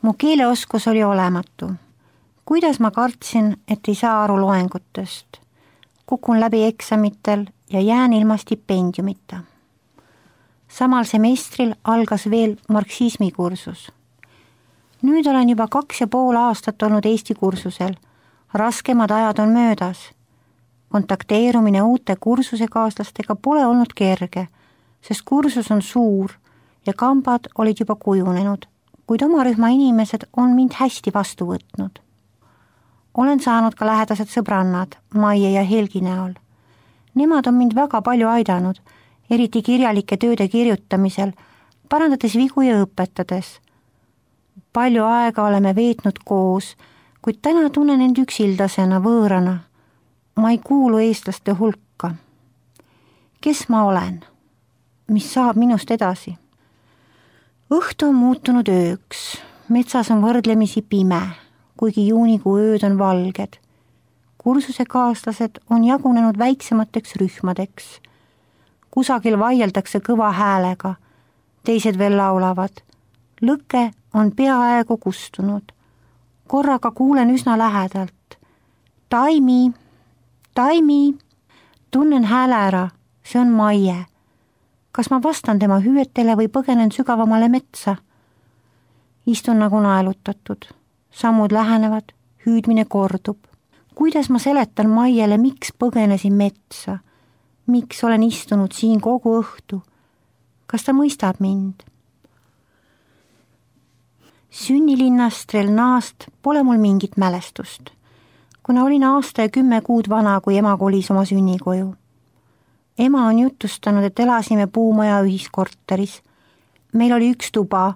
Mu keeleoskus oli olematu. Kuidas ma kartsin, et ei saa aru loengutest. Kukun läbi eksamitel ja jään ilma stipendiumita. Samal semestril algas veel marksismi kursus. Nüüd olen juba 2,5 aastat olnud Eesti kursusel. Raskemad ajad on möödas. Kontakteerumine uute kursusekaaslastega pole olnud kerge, sest kursus on suur ja kambad olid juba kujunenud, kuid oma rühma inimesed on mind hästi vastu võtnud. Olen saanud ka lähedased sõbrannad Maie ja Helgi näol. Nemad on mind väga palju aidanud, eriti kirjalike tööde kirjutamisel, parandades vigu ja õpetades. Palju aega oleme veetnud koos, kuid täna tunnen end üksildasena, võõrana. Ma ei kuulu eestlaste hulka. Kes ma olen? Mis saab minust edasi? Õhtu on muutunud ööks. Metsas on võrdlemisi pime, kuigi juunikuu ööd on valged. Kursusekaaslased on jagunenud väiksemateks rühmadeks. Kusagil vaieldakse kõva häälega, teised veel laulavad. Lõke on peaaegu kustunud. Korraga kuulen üsna lähedalt. Taimi, Taimi, tunnen hääle ära, see on Maie. Kas ma vastan tema hüüetele või põgenen sügavamale metsa? Istun nagu naelutatud. Sammud lähenevad, hüüdmine kordub. Kuidas ma seletan Maiele, miks põgenesin metsa? Miks olen istunud siin kogu õhtu? Kas ta mõistab mind? Sünnilinnast Relnaast pole mul mingit mälestust, kuna olin aasta ja 10 kuud vana, kui ema kolis oma sünnikoju. Ema on jutustanud, et elasime puumaja ühiskorteris. Meil oli 1 tuba,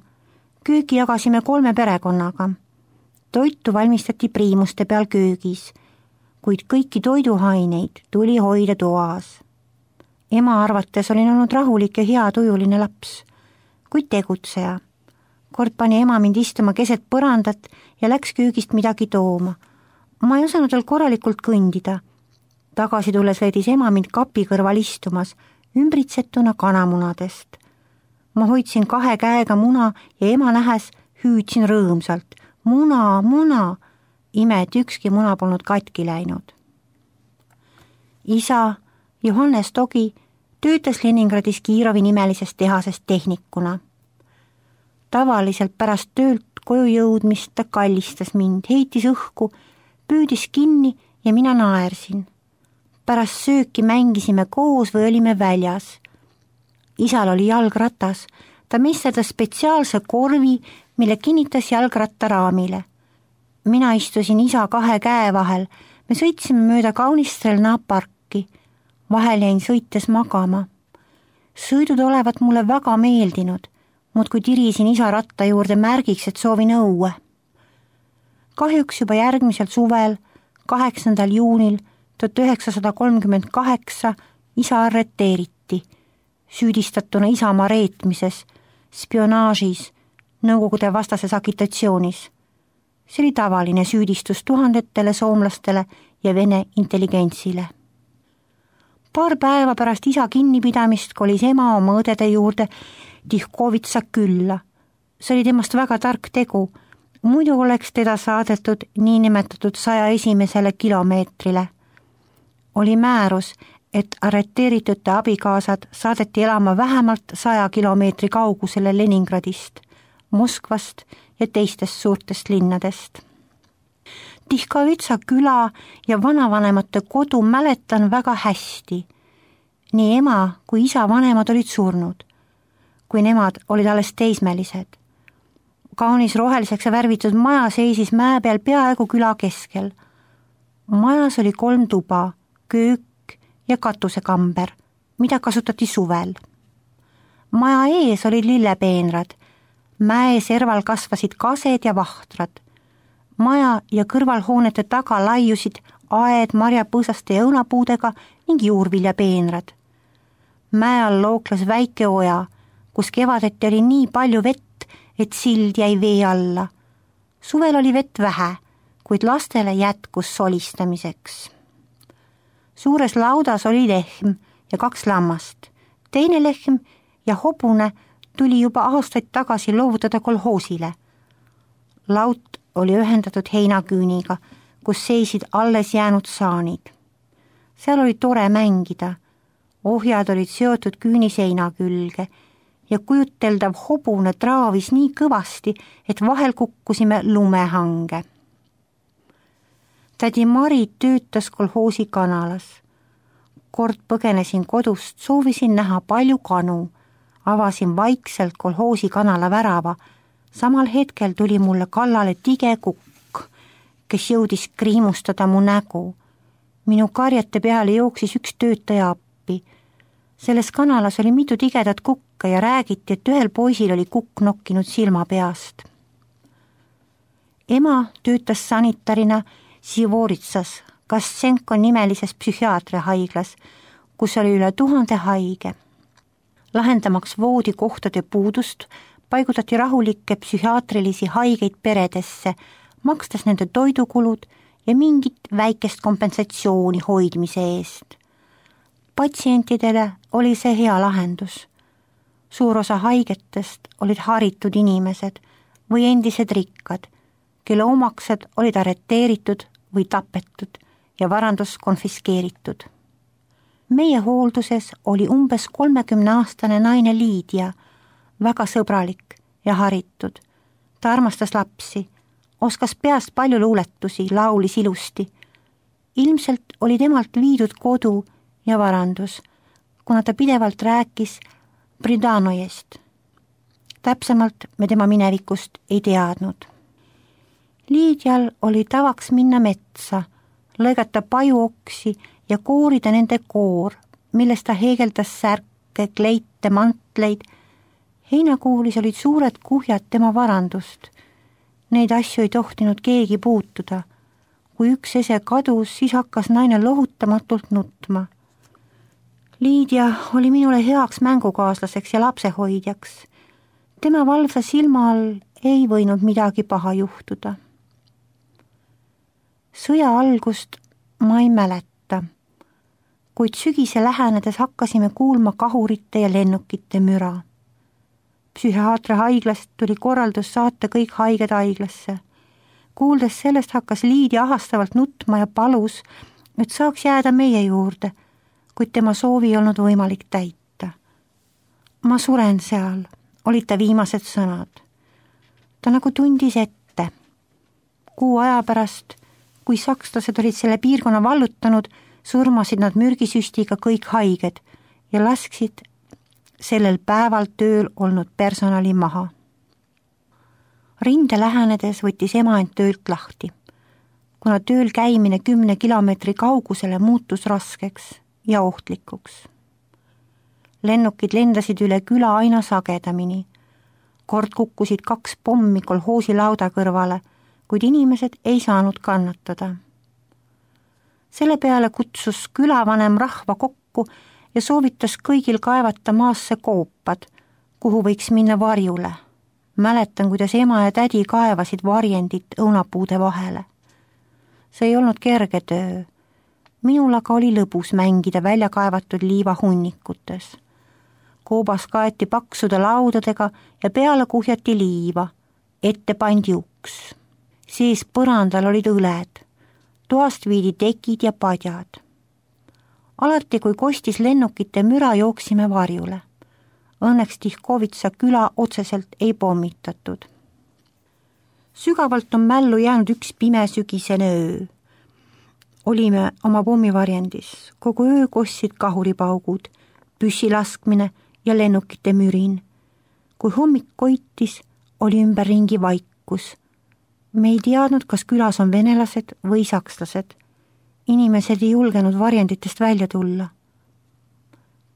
kööki jagasime 3 perekonnaga. Toitu valmistati priimuste peal köögis, kuid kõiki toiduaineid tuli hoida toas. Ema arvates olin olnud rahulik ja heatujuline laps, kuid tegutseja. Kord pani ema mind istuma keset põrandat ja läks köögist midagi tooma. Ma ei osanud veel korralikult kõndida. Tagasi tulles leidis ema mind kapi kõrval istumas, ümbritsetuna kanamunadest. Ma hoidsin 2 käega muna ja ema nähes hüüdsin rõõmsalt. Muna, muna! Ime, et ükski muna polnud katki läinud. Isa Johannes Togi töötas Leningradis Kiirovi nimelises tehases tehnikuna. Tavaliselt pärast töölt koju jõudmist ta kallistas mind, heitis õhku, püüdis kinni ja mina naersin. Pärast sööki mängisime koos või olime väljas. Isal oli jalgratas, ta mesterdas spetsiaalse korvi, mille kinnitas jalgrattaraamile. Mina istusin isa 2 käe vahel, me sõitsime mööda kaunist Relna parki. Vahel jäin sõites magama. Sõidud olevat mulle väga meeldinud, muudkui tirisin isa ratta juurde märgiks, et soovin õue. Kahjuks juba järgmisel suvel, 8. juunil 1938 isa arreteeriti, süüdistatuna isamaa reetmises, spionaažis, Nõukogude vastases agitatsioonis. See oli tavaline süüdistus tuhandetele soomlastele ja Vene intelligentsile. Paar päeva pärast isa kinnipidamist kolis ema oma õdede juurde Tihkovitsa külla. See oli temast väga tark tegu, muidu oleks teda saadetud niinimetatud 101. kilomeetrile. Oli määrus, et arreteeritute abikaasad saadeti elama vähemalt 100 kilomeetri kaugusele Leningradist, Moskvast ja teistest suurtest linnadest. Tihkovitsa küla ja vanavanemate kodu mäletan väga hästi. Nii ema kui isa vanemad olid surnud, kui nemad olid alles teismelised. Kaunis roheliseks värvitud maja seisis mäe peal peaaegu küla keskel. Majas oli 3 tuba, köök ja katusekamber, mida kasutati suvel. Maja ees olid lillepeenrad, mäe serval kasvasid kased ja vahtrad. Maja ja kõrvalhoonete taga laiusid aed marjapõõsaste ja õunapuudega ning juurviljapeenrad. Mäe all looklas väike oja, kus kevadeti oli nii palju vett, et sild jäi vee alla. Suvel oli vett vähe, kuid lastele jätkus solistamiseks. Suures laudas oli lehm ja 2 lammast. Teine lehm ja hobune tuli juba aastaid tagasi loovutada kolhoosile. Laut oli ühendatud heinaküüniga, kus seisid alles jäänud saanid. Seal oli tore mängida. Ohjad olid seotud küüniseina külge ja kujuteldav hobune traavis nii kõvasti, et vahel kukkusime lumehange. Tädi Mari töötas kolhoosi kanalas. Kord põgenesin kodust, soovisin näha palju kanu. Avasin vaikselt kolhoosi kanala värava. Samal hetkel tuli mulle kallale tige kukk, kes jõudis kriimustada mu nägu. Minu karjete peale jooksis üks töötaja appi. Selles kanalas oli mitu tigedat kukka ja räägiti, et ühel poisil oli kukk nokkinud silma peast. Ema töötas sanitarina Sivoritsas, Kassenko nimelises psühhiaatriahaiglas, kus oli üle 1000 haige. Lahendamaks voodikohtade puudust paigutati rahulikke psühhiaatrilisi haigeid peredesse, makstas nende toidukulud ja mingit väikest kompensatsiooni hoidmise eest. Patsientidele oli see hea lahendus. Suur osa haigetest olid haritud inimesed või endised rikkad, kelle omaksed olid arreteeritud või tapetud ja varandus konfiskeeritud. Meie hoolduses oli umbes 30-aastane naine Liidia, väga sõbralik ja haritud. Ta armastas lapsi, oskas peast palju luuletusi, laulis ilusti. Ilmselt oli temalt viidud kodu ja varandus, kuna ta pidevalt rääkis Bridanojest. Täpsemalt me tema minevikust ei teadnud. Liidial oli tavaks minna metsa, lõigata pajuoksi ja koorida nende koor, millest ta heegeldas särke, kleite, mantleid. Heinakuulis olid suured kuhjad tema varandust. Neid asju ei tohtinud keegi puutuda. Kui üks ese kadus, siis hakkas naine lohutamatult nutma. Liidia oli minule heaks mängukaaslaseks ja lapsehoidjaks. Tema valvsa silma all ei võinud midagi paha juhtuda. Sõja algust ma ei mäleta, kuid sügise lähenedes hakkasime kuulma kahurite ja lennukite müra. Psühhiaatriahaiglast tuli korraldus saata kõik haiged haiglasse. Kuuldes sellest hakkas Liidia ahastavalt nutma ja palus, et saaks jääda meie juurde, kuid tema soovi ei olnud võimalik täita. Ma suren seal, olid ta viimased sõnad. Ta nagu tundis ette. 6 aja pärast, kui sakslased olid selle piirkonna vallutanud, surmasid nad mürgisüstiga kõik haiged ja lasksid sellel päeval tööl olnud personali maha. Rinde lähenedes võttis ema end töölt lahti, kuna tööl käimine 10 kilomeetri kaugusele muutus raskeks ja ohtlikuks. Lennukid lendasid üle küla aina sagedamini. Kord kukkusid 2 pommi kolhoosi lauda kõrvale, kuid inimesed ei saanud kannatada. Selle peale kutsus külavanem rahva kokku ja soovitas kõigil kaevata maasse koopad, kuhu võiks minna varjule. Mäletan, kuidas ema ja tädi kaevasid varjendit õunapuude vahele. See ei olnud kerge töö. Minul aga oli lõbus mängida välja kaevatud liiva hunnikutes. Koobas kaeti paksude laudadega ja peale kuhjati liiva. Ette pandi uks. Sees põrandal olid õled. Toast viidi tekid ja padjad. Alati, kui kostis lennukite müra, jooksime varjule. Õnneks Tihkovitsa küla otseselt ei pommitatud. Sügavalt on mällu jäänud üks pime sügisene öö. Olime oma pommivarjendis. Kogu öö kossid kahuripaugud, püssilaskmine ja lennukite mürin. Kui hommik koitis, oli ümberringi vaikus. Me ei teadnud, kas külas on venelased või sakslased. Inimesed ei julgenud varjenditest välja tulla.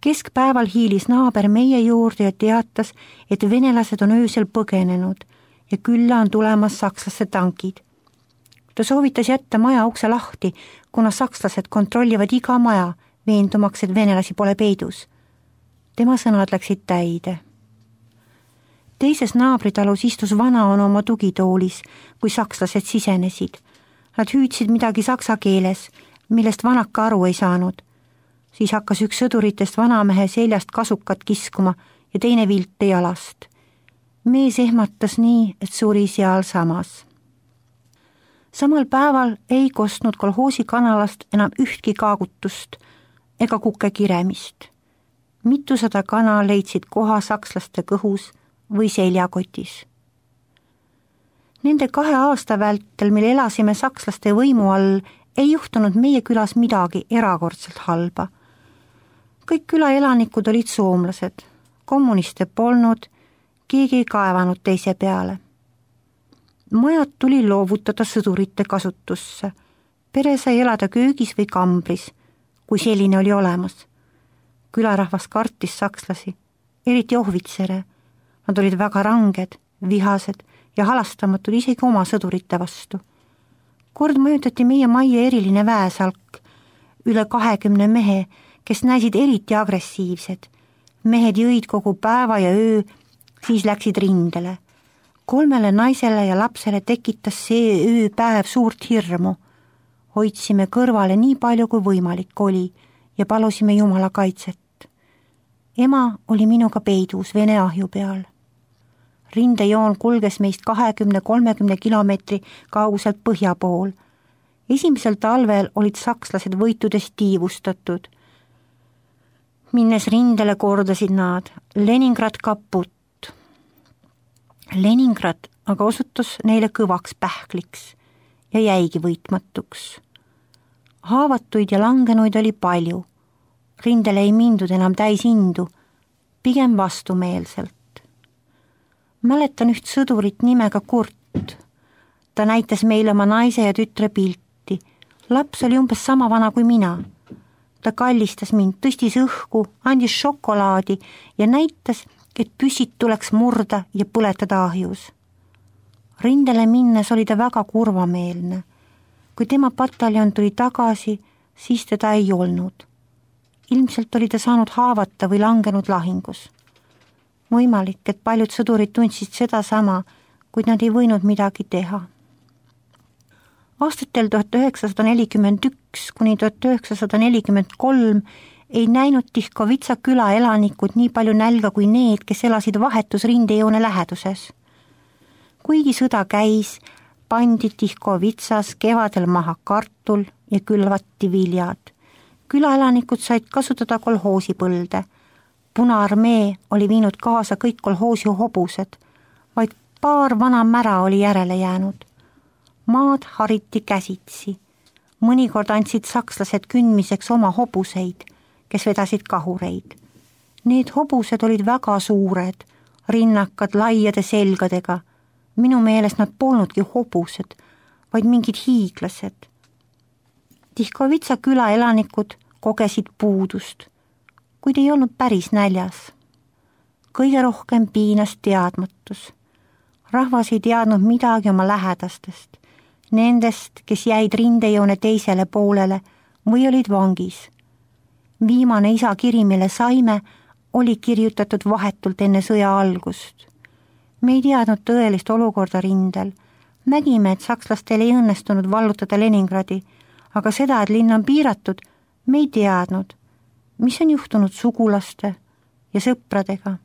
Keskpäeval hiilis naaber meie juurde ja teatas, et venelased on öösel põgenenud ja külla on tulemas sakslaste tankid. Ta soovitas jätta maja ukse lahti, kuna sakslased kontrollivad iga maja, veendumaks, et venelasi pole peidus. Tema sõnad läksid täide. Teises naabritalus istus vanaonu oma tugitoolis, kui sakslased sisenesid. Nad hüüdsid midagi saksa keeles, millest vanaka aru ei saanud. Siis hakkas üks sõduritest vanamehe seljast kasukat kiskuma ja teine vilte jalast. mees ehmatas nii, et suri sealsamas. Samal päeval ei kostnud kolhoosi kanalast enam ühtki kaagutust ega kuke kiremist. Mitusada kana leidsid koha sakslaste kõhus või seljakotis. Nende 2 aasta vältel, mil elasime sakslaste võimu all, ei juhtunud meie külas midagi erakordselt halba. Kõik külaelanikud olid soomlased, kommuniste polnud, keegi ei kaevanud teise peale. Majad tuli loovutada sõdurite kasutusse. Pere sai elada köögis või kambris, kui selline oli olemas. Külarahvas kartis sakslasi, eriti ohvitsere. Nad olid väga ranged, vihased ja halastamatud isegi oma sõdurite vastu. Kord mõjutati meie majja eriline väesalk, üle 20 mehe, kes näisid eriti agressiivsed. Mehed jõid kogu päeva ja öö, siis läksid rindele. 3 naisele ja lapsele tekitas see ööpäev suurt hirmu. Hoidsime kõrvale nii palju kui võimalik oli ja palusime Jumala kaitset. Ema oli minuga peidus Vene ahju peal. Rindejoon kulges meist 20-30 kilomeetri kauguselt põhja pool. Esimesel talvel olid sakslased võitudest tiivustatud. Minnes rindele kordasid nad Leningrad kaput. Leningrad aga osutus neile kõvaks pähkliks ja jäigi võitmatuks. Haavatuid ja langenuid oli palju. Rindele ei mindud enam täis indu, pigem vastumeelselt. Mäletan üht sõdurit nimega Kurt. Ta näitas meile oma naise ja tütre pilti. Laps oli umbes sama vana kui mina. Ta kallistas mind, tõstis õhku, andis šokolaadi ja näitas, et püsid tuleks murda ja põletada ahjus. Rindele minnes oli ta väga kurvameelne. Kui tema pataljon tuli tagasi, siis teda ei olnud. Ilmselt oli ta saanud haavata või langenud lahingus. Võimalik, et paljud sõdurid tundsid seda sama, kuid nad ei võinud midagi teha. Aastatel 1941 kuni 1943 ei näinud Tihkovitsa küla elanikud nii palju nälga kui need, kes elasid vahetus rindejoone läheduses. Kuigi sõda käis, pandi Tihkovitsas kevadel maha kartul ja külvati viljad. Külaelanikud said kasutada kolhoosipõlde. Punaarmee oli viinud kaasa kõik kolhoosi hobused, vaid paar vana mära oli järele jäänud. Maad hariti käsitsi. Mõnikord andsid sakslased kündmiseks oma hobuseid, kes vedasid kahureid. Need hobused olid väga suured, rinnakad laiade selgadega. Minu meelest nad polnudki hobused, vaid mingid hiiglased. Tihkovitsa küla elanikud kogesid puudust, kuid ei olnud päris näljas. Kõige rohkem piinas teadmatus. Rahvas ei teadnud midagi oma lähedastest, nendest, kes jäid rindejoone teisele poolele või olid vangis. Viimane isakiri, mille saime, oli kirjutatud vahetult enne sõja algust. Me ei teadnud tõelist olukorda rindel. Nägime, et sakslastel ei õnnestunud vallutada Leningradi, aga seda, et linn on piiratud, me ei teadnud, mis on juhtunud sugulaste ja sõpradega.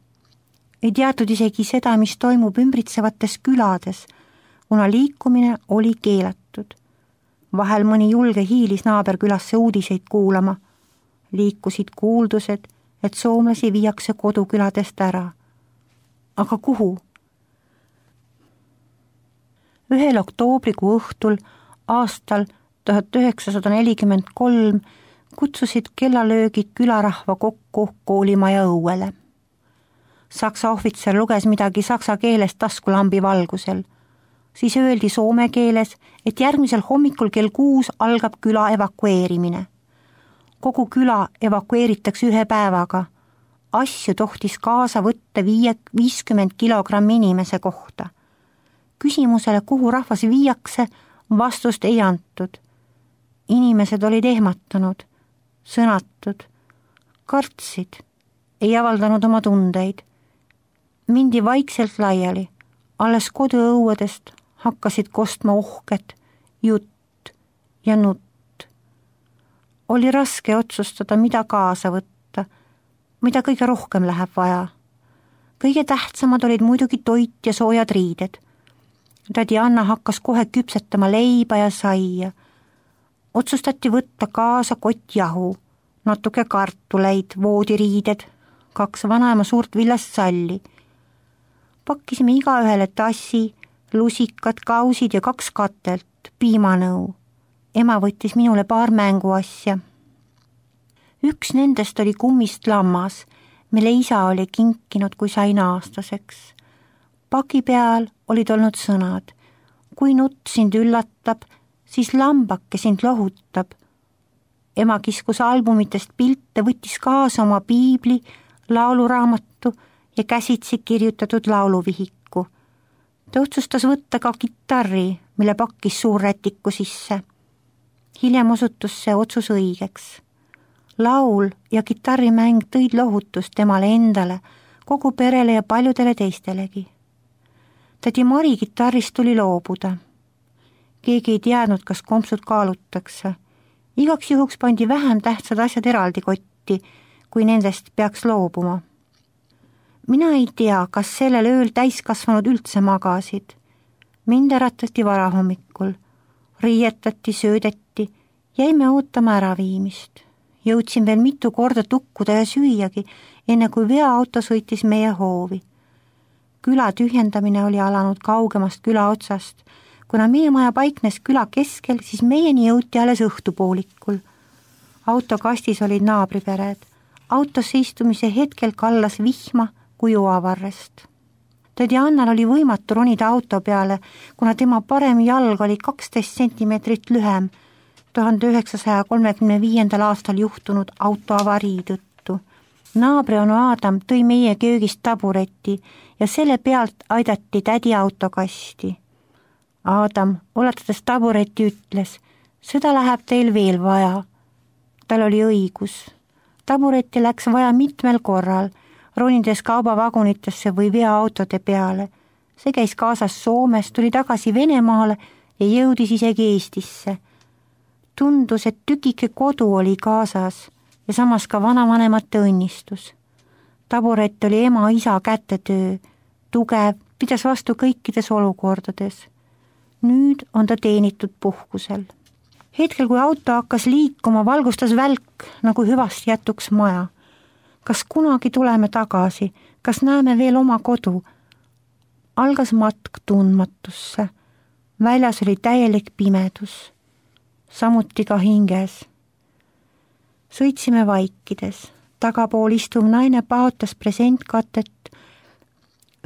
Ei teatud isegi seda, mis toimub ümbritsevates külades, kuna liikumine oli keelatud. Vahel mõni julge hiilis naaberkülasse uudiseid kuulama. Liikusid kuuldused, et soomlasi viiakse koduküladest ära. Aga kuhu? 1. oktoobrikuu õhtul aastal 1943 kutsusid kellalöögid külarahva kokku koolimaja õuele. Saksa ohvitser luges midagi saksa keeles taskulambi valgusel. Siis öeldi soome keeles, et järgmisel hommikul kell 6 algab küla evakueerimine. Kogu küla evakueeritakse 1 päevaga. Asju tohtis kaasa võtta 50 kilogrammi inimese kohta. Küsimusele, kuhu rahvas viiakse, vastust ei antud. Inimesed olid ehmatanud, sõnatud, kartsid, ei avaldanud oma tundeid. Mindi vaikselt laiali, alles koduõuedest hakkasid kostma ohked, jutt ja nutt. Oli raske otsustada, mida kaasa võtta, mida kõige rohkem läheb vaja. Kõige tähtsamad olid muidugi toit ja soojad riided. Tädi Anna hakkas kohe küpsetama leiba ja saia. Otsustati võtta kaasa kott jahu, natuke kartuleid, voodiriided, 2 vanaema suurt villast salli. Pakkisime igaühele tassi, lusikad, kausid ja 2 katelt, piimanõu. Ema võttis minule paar mänguasja. Üks nendest oli kummist lammas, mille isa oli kinkinud, kui sain aastaseks. Paki peal olid olnud sõnad: kui nutt sind üllatab, siis lambake sind lohutab. Ema kiskus albumitest pilte, võttis kaasa oma piibli, lauluraamatu ja käsitsi kirjutatud lauluvihiku. Ta otsustas võtta ka kitarri, mille pakkis suurrätiku sisse. Hiljem osutus see otsus õigeks. Laul ja kitarrimäng tõid lohutust temale endale, kogu perele ja paljudele teistelegi. Tädi Mari kitarrist tuli loobuda. Keegi ei teadnud, kas kompsud kaalutakse. Igaks juhuks pandi vähem tähtsad asjad eraldi kotti, kui nendest peaks loobuma. Mina ei tea, kas sellel ööl täiskasvanud üldse magasid. Mind äratati varahommikul, riietati, söödeti, jäime ootama äraviimist. Jõudsin veel mitu korda tukkuda ja süüagi, enne kui veoauto sõitis meie hoovi. Küla tühjendamine oli alanud kaugemast küla otsast. Kuna meie maja paiknes küla keskel, siis meieni jõuti alles õhtupoolikul. Autokastis olid naabripered. Autosse istumise hetkel kallas vihma kui oavarrest. Tädi Annal oli võimatu ronida auto peale, kuna tema parem jalg oli 12 sentimeetrit lühem 1935. aastal juhtunud autoavarii tõttu. Naabri onu Adam tõi meie köögist tabureti ja selle pealt aidati tädi autokasti. Adam, ulatades tabureti, ütles: seda läheb teil veel vaja. Tal oli õigus. Tabureti läks vaja mitmel korral, ronides kaubavagunitesse või veoautode peale. See käis kaasas Soomes, tuli tagasi Venemaale ja jõudis isegi Eestisse. Tundus, et tükike kodu oli kaasas ja samas ka vanavanemate õnnistus. Taburet oli ema-isa kätetöö, tugev, pidas vastu kõikides olukordades. Nüüd on ta teenitud puhkusel. Hetkel, kui auto hakkas liikuma, valgustas välk, nagu hüvasti jätuks maja. Kas kunagi tuleme tagasi? Kas näeme veel oma kodu? Algas matk tundmatusse. Väljas oli täielik pimedus. Samuti ka hinges. Sõitsime vaikides. Tagapool istuv naine paotas presentkatet.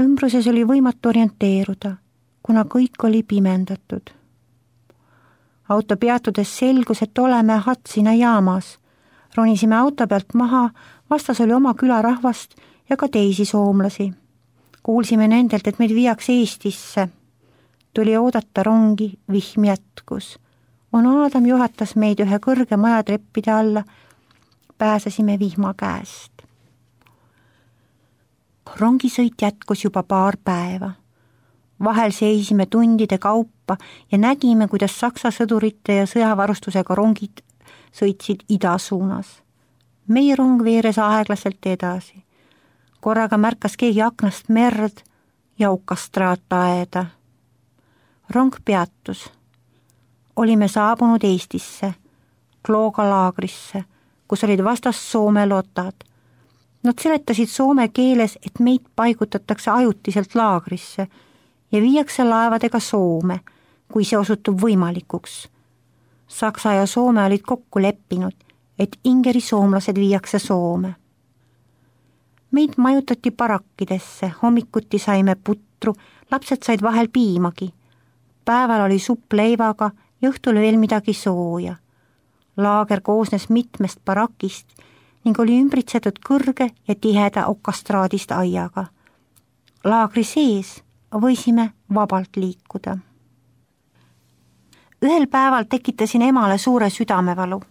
Ümbruses oli võimatu orienteeruda, kuna kõik oli pimendatud. Auto peatudes selgus, et oleme Hatsina jaamas. Ronisime auto pealt maha, vastas oli oma külarahvast ja ka teisi soomlasi. Kuulsime nendelt, et meid viiakse Eestisse. Tuli oodata rongi, vihm jätkus. Onu Adam juhatas meid ühe kõrge majatreppide alla. Pääsesime vihma käest. Rongisõit jätkus juba paar päeva. Vahel seisime tundide kaupa ja nägime, kuidas Saksa sõdurite ja sõjavarustusega rongid sõitsid ida suunas. Meie rong veeres aeglaselt edasi. Korraga märkas keegi aknast merd ja okastraataeda. Rong peatus. Olime saabunud Eestisse, Klooga laagrisse, kus olid vastas Soome lotad. Nad seletasid soome keeles, et meid paigutatakse ajutiselt laagrisse ja viiakse laevadega Soome, kui see osutub võimalikuks. Saksa ja Soome olid kokku leppinud, et Ingeri soomlased viiakse Soome. Meid majutati barakkidesse, hommikuti saime putru, lapsed said vahel piimagi. Päeval oli supp leivaga ja õhtul veel midagi sooja. Laager koosnes mitmest barakist ning oli ümbritsetud kõrge ja tiheda okastraadist aiaga. Laagri sees võisime vabalt liikuda. Ühel päeval tekitasin emale suure südamevalu.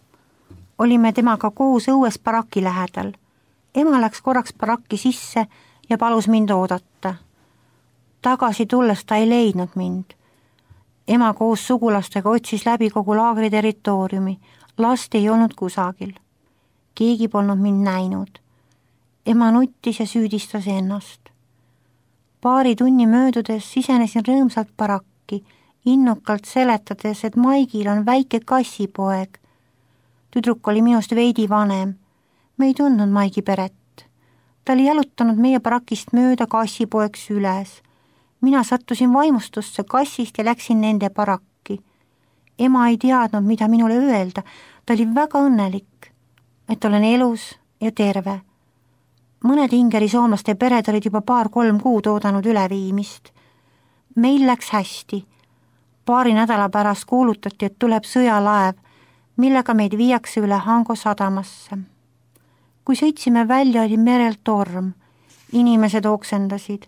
Olime temaga koos õues baraki lähedal. Ema läks korraks baraki sisse ja palus mind oodata. Tagasi tulles ta ei leidnud mind. Ema koos sugulastega otsis läbi kogu laagri territooriumi. Last ei olnud kusagil. Keegi polnud mind näinud. Ema nuttis ja süüdistas ennast. Paari tunni möödudes sisenesin rõõmsalt barakki, innukalt seletades, et Maigil on väike kassipoeg. Tüdruk oli minust veidi vanem. Me ei tundnud Maigi peret. Ta oli jalutanud meie barakist mööda kassipoeks üles. Mina sattusin vaimustusse kassist ja läksin nende barakki. Ema ei teadnud, mida minule öelda. Ta oli väga õnnelik, et olen elus ja terve. Mõned Ingeri soomlaste pered olid juba 2-3 kuud oodanud üleviimist. Meil läks hästi. Paari nädala pärast kuulutati, et tuleb sõjalaev, millega meid viiakse üle Hango sadamasse. Kui sõitsime välja, oli merel torm. Inimesed oksendasid.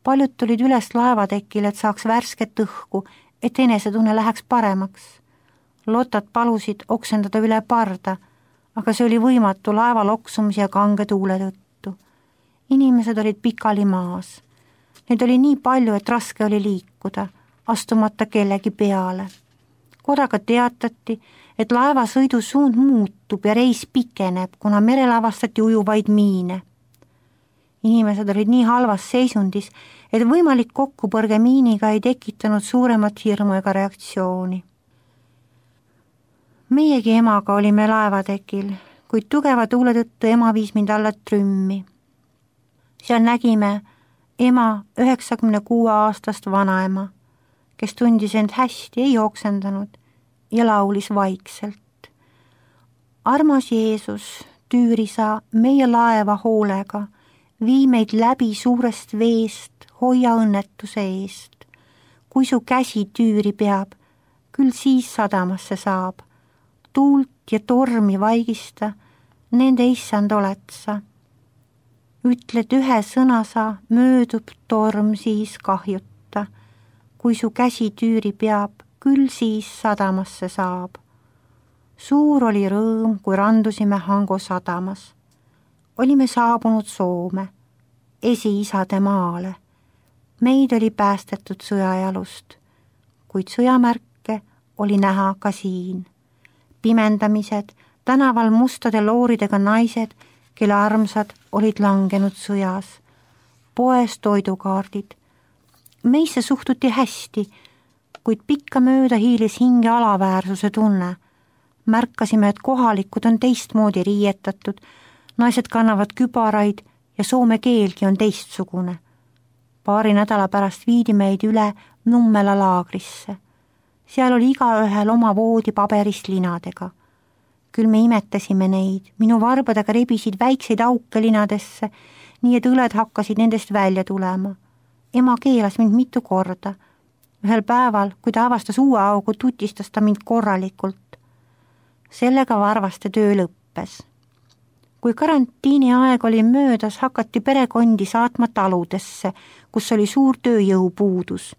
Paljud tulid üles laevatekil, et saaks värsket õhku, et enesetunne läheks paremaks. Lotad palusid oksendada üle parda, aga see oli võimatu laeva loksumise ja kange tuule tõttu. Inimesed olid pikali maas. Neid oli nii palju, et raske oli liikuda, astumata kellegi peale. Korraga teatati, et laevasõidu suund muutub ja reis pikeneb, kuna merel avastati ujuvaid miine. Inimesed olid nii halvas seisundis, et võimalik kokkupõrge miiniga ei tekitanud suuremat hirmu ega reaktsiooni. Meiegi emaga olime laevatekil, kuid tugeva tuule tõttu ema viis mind alla trümmi. Seal nägime ema 96-aastast vanaema, kes tundis end hästi, ei oksendanud ja laulis vaikselt. Armas Jeesus, tüüri sa meie laeva hoolega, vii meid läbi suurest veest, hoia õnnetuse eest. Kui su käsi tüüri peab, küll siis sadamasse saab. Tuult ja tormi vaigista, nende issand oled sa. Ütled ühe sõna sa, möödub torm siis kahjuta. Kui su käsi tüüri peab, küll siis sadamasse saab. Suur oli rõõm, kui randusime Hango sadamas. Olime saabunud Soome, esiisade maale. Meid oli päästetud sõjajalust, kuid sõjamärke oli näha ka siin. Pimendamised, tänaval mustade looridega naised, kelle armsad olid langenud sõjas. Poes toidukaardid. Meisse suhtuti hästi, kuid pikka mööda hiilis hinge alaväärsuse tunne. Märkasime, et kohalikud on teistmoodi riietatud, naised kannavad kübaraid ja soome keelgi on teistsugune. Paari nädala pärast viidi meid üle Nummela laagrisse. Seal oli igaühel oma voodi paberist linadega. Küll me imetasime neid, minu varbadega rebisid väikseid auke linadesse, nii et õled hakkasid nendest välja tulema. Ema keelas mind mitu korda. Ühel päeval, kui ta avastas uue augu, tutistas ta mind korralikult. Sellega varvaste töö lõppes. Kui karantiini aeg oli möödas, hakati perekondi saatma taludesse, kus oli suur tööjõupuudus.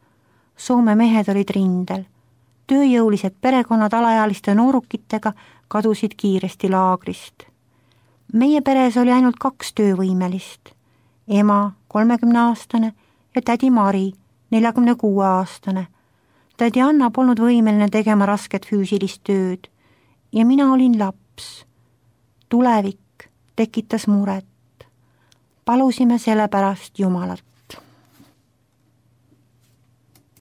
Soome mehed olid rindel. Tööjõulised perekonnad alaealiste noorukitega kadusid kiiresti laagrist. Meie peres oli ainult 2 töövõimelist. Ema, 30-aastane ja tädi Mari, 46-aastane. Tädi Anna polnud võimeline tegema rasket füüsilist tööd ja mina olin laps. Tulevik tekitas muret. Palusime selle pärast Jumalat.